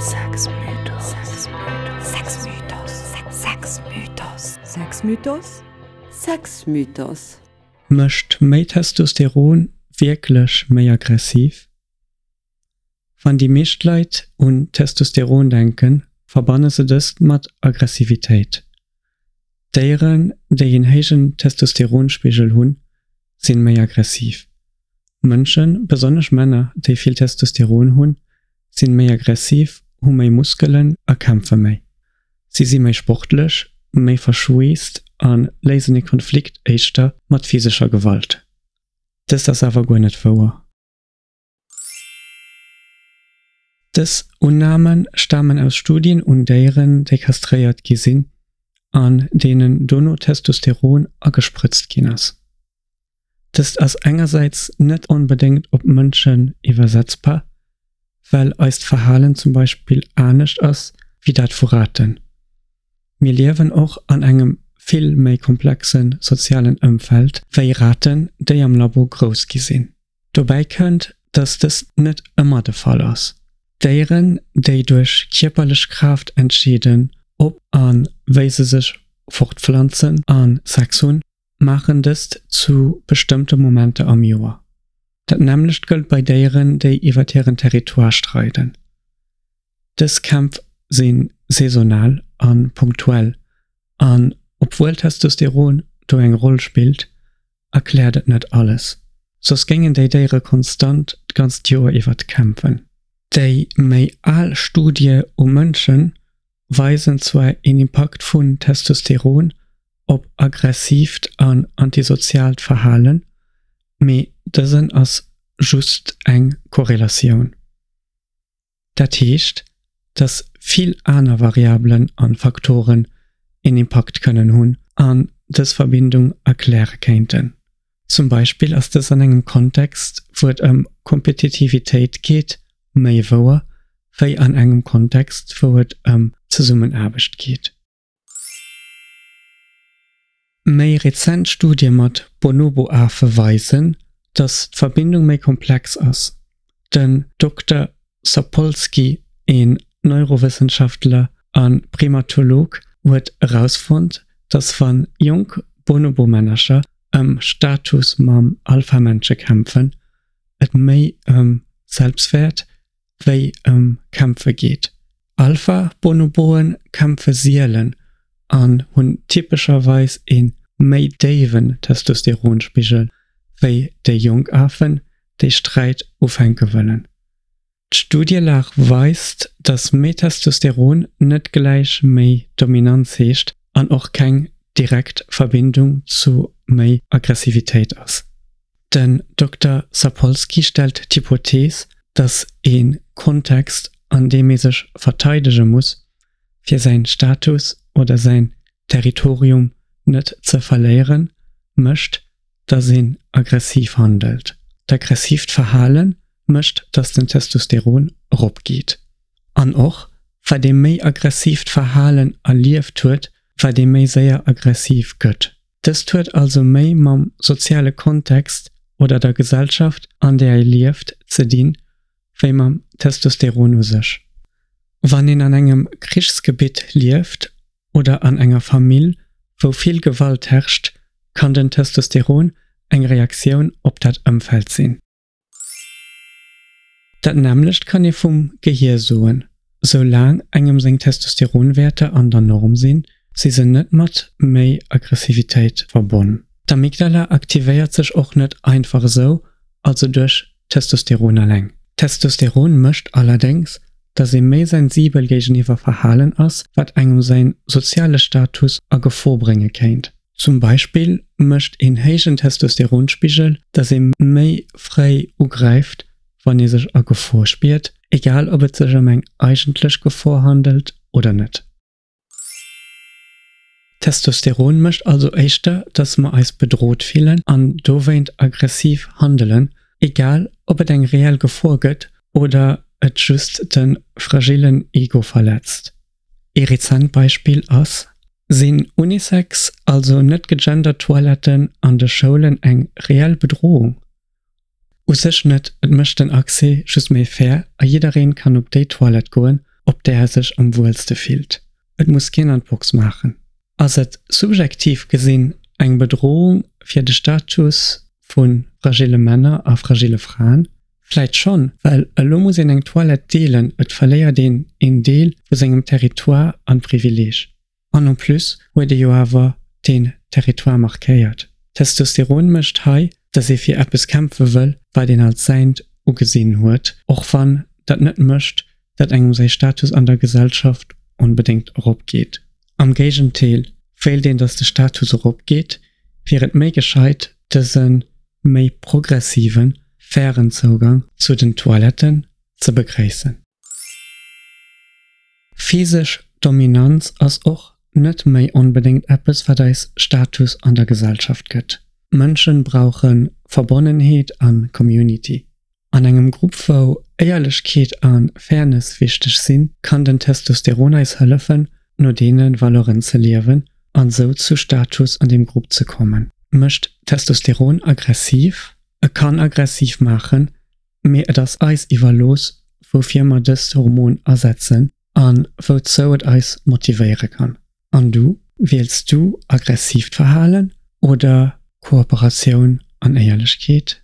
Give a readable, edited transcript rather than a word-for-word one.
Sexmythos. Sexmythos. Sexmythos. Sexmythos. Sexmythos. Mécht méi Testosteron wierklech méi aggressiv? Wann déi meescht Leit un Testosteron denken, verbanne se dëst mat Aggressivitéit. Déieren, déi een héijen Testosteronspigel hunn, sinn méi aggressiv. Mënschen, besonnesch Männer, déi vill Testosteron hunn, sinn méi aggressiv, hu méi Muskelen a kämpfe méi. Si si méi sportlech, méi verschweesst a léisen e Konflikt éischter mat physescher Gewalt. Dëst ass awer guer net wouer. Dës Unname stamen aus Studien un Déieren, déi kastréiert gi sinn an deenen dono Testosteron agesprëtzt ginn ass. Dëst ass engersäits net onbedéngt op Mënschen iwwersetzbar, well eist Verhalen zum Beispill anescht ass wéi dat vu Raten. Mir liewen och an engem vill méi komplexe sozialen Ëmfeld wéi Raten, déi am Labo grouss gi sinn. Dobäi kënnt, dass dëst net ëmmer de Fall ass. Déieren, déi duerch kierperlech Kraaft entscheeden, ob a wéi se sech fortpflanzen a Sex hunn, maachen dëst zu bestëmmte Momenter am Joer. Dat nämmlecht gëllt bei Déieren, déi iwwer hiren Territoire streiden. Dës Kämpf si saisonal a punktuell an obwuel Testosteron do eng Roll spillt, erkläert et net alles. Soss géingen déi Déiere konstant d'ganzt Joer iwwer kämpfen. Déi méi al Studie u Mënsche weisen zwar een Impakt vun Testosteron op aggressiivt an antisoziaalt Verhalen, mee dësen ass just eng Korrelatioun. Dat heescht, dass vill aner Variabelen an Faktoren een Impakt kënnen hunn an dës Verbindung erkläre kéinten. Zum Beispill ass dës an engem Kontext, wou et ëm Kompetitivitéit geet, méi wouer, wéi an engem Kontext, wou et ëm Zesummenaarbecht geet. Méi rezent Studie mat Bonobo-Afe weisen, datt d'Verbindung méi komplex ass. Den Dokter Sapolsky, een Neurowëssenschaftler a Primatolog, huet erausfonnt, datt wa jonk Bonobo-Männercher ëm Status mam Alpha-Männche kämpfen, et méi ëm Selbstwäert wéi ëm Kämpfe geet. Alpha-Bonoboen kämpfe sielen an hunn typescherweis ee méi déiwen Testosteronspigel wéi déi jonk Afen, déi Sträit ufänke wëllen. D'Studielag weist, datt méi Testosteron net gläich méi Dominanz heescht an och keng direkt Verbindung zu méi Aggressivitéit ass. Den Dokter Sapolsky stellt d'Hypothees, datt ee Kontext, an deem ee sech verteidege muss, fir säin Status oder säin Territorium net ze verléieren, mécht, datt een aggressiv handelt. D'aggressiivt Verhale mécht, datt den Testosteron eropgeet. An och, wat ee méi aggressiivt Verhalen erlieft huet, wat ee méi séier aggressiv gëtt. Dëst huet also méi mam soziale Kontext oder der Gesellschaft, an där ee lieft, ze dinn, wéi mam Testosteron u sech. Wann een an engem Krichsgebitt lieft oder an enger Famill, wou vill Gewalt herrscht, kann den Testosteron eng Reaktioun op dat Ëmfeld sinn. Dat nämmlecht kann ee vum Gehier soen. Sou laang engem seng Testosteronwäerter an der Norm sinn, si se net mat méi Aggressivitéit verbonn. D'Amygdala aktivéiert sech och net einfach esou, also duerch Testosteron eleng. Testosteron mécht allerdéngs, dass ee méi sensibel géigeniwwer Verhalen ass, wat engem säin soziale Status a Gefor brénge kéint. Zum Beispill mécht een héijen Testosteronspigel, dass ee méi fréi ugräift, wann ee sech a Gefor spiert, egal ob et sech ëm eng eigentlech Gefor handelt oder net. Testosteron mécht also éischter, dass mer eis bedrot fillen an dowéint aggressiv handelen, egal ob et eng reell Gefor gëtt oder et just de fragillen Ego verletzt. Ee rezent Beispill ass, Sinn Unisex, also net gegendert Toiletten an de Schoulen eng reell Bedrohung? U sech net, et mécht den Accès just méi fair a jiddereen kann op déi Toilette goen, op där e sech am wuelste fillt. Et muss keen an d'Box maachen. Ass et subjektiv gesinn eng Bedrohung fir de Status vu fragile Männer a fragile Fraen? Vläit schonn, well elo muss een eng Toilette deelen, et verléiert een een Deel vu sengem Territoire an Privileeg. An en plus huet ee jo awer deen Territoire markéiert. Testosteron mécht hei, dass ee fir eppes kämpfe wëll, wat een als säint ugesinn huet, och wann dat net mécht, dat engem säi Status an der Gesellschaft onbedéngt erop geet. Am Géigendeel, wéilt een, dass de Status erop geet, wier et méi gescheit, dëse méi progressiven, fairen Zougang zu den Toiletten ze begréissen. Physesch Dominanz ass och net méi onbedéngt eppes wat eis Status an der Gesellschaft gëtt. Mënschen brauche Verbonnenheet a Community. An engem Grupp wou Éierlechkeet a Fairness wichteg sinn, kann den Testosteron eis hëllefen no deene Valeuren ze liewen an sou zu Status an deem Grupp ze kommen. Mécht Testosteron aggressiv? E kann aggressiv maachen, mee et ass eis iwwerlooss, woufir mer dëst Hormon asetzen a wouzou et eis motivéiere kann. An du? Wiels du aggressiivt Verhalen oder Kooperatioun an Éierlechkeet?